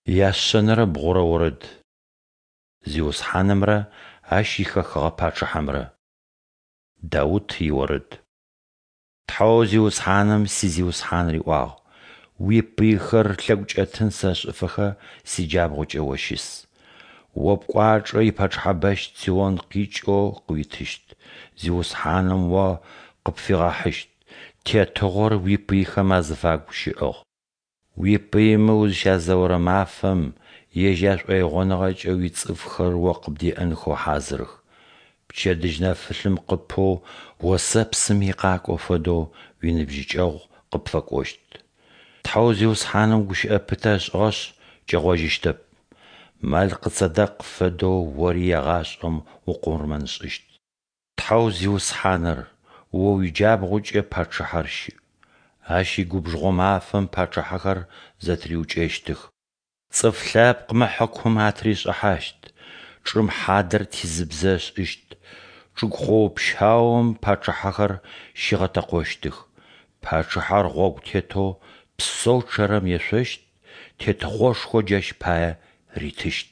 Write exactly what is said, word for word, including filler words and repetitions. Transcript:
Яшъэнэрэ бгъурэ орэд. Зиусхьанымрэ Ащ ихэхыгъэ пачъыхьэмрэ. Даут иорэд. Тхьэу Зиусхьаным си Зиусхьан риӏуагъ: Уипыйхэр лъэгукӏэтын сэшӏыфэхэ сиджабгъукӏэ О щыс. О пкӏуачӏэ ипачъыхьэбэщ Цион къикӏэу къыуитыщт, Зиусхьаным о къыпфигъэхьыщт тетыгъор уипыйхэм азыфагу щыӏыгъ. Уипыймэ узыщязэорэ мафэм ежь яшӏоигъоныгъэкӏэ уицӏыфхэр о къыбдеӏэнхэу хьазырых. Пчэдыжь нэфылъым къыпэу осэпсым икъакӏо фэдэу уиныбжьыкӏэгъу къыпфэкӏощт. Тхьэу Зиусхьаным гущыӏэ пытэ ышӏыгъэшъ, кӏэгъожьыщтэп: Мэлкъыцэдэкъ фэдэу ори егъашӏэм укъурмэншӏыщт. Тхьэу Зиусхьаныр, О уиджабгъукӏэ пачъыхьэр щыӏ. Ащ игубжыгъо мафэм пачъыхьэхэр зэтыриукӏэщтых. Цӏыф лъэпкъмэ хьыкум атыришӏыхьащт, чӏым хьадэр тизыбзэ ышӏыщт, чӏыгу хъоо-пщаум пачъыхьэхэр щигъэтэкъощтых. Пачъыхьэр гъогу тетэу псэу чъэрэм ешъощт, тетыгъошхо джащ пае ритыщт.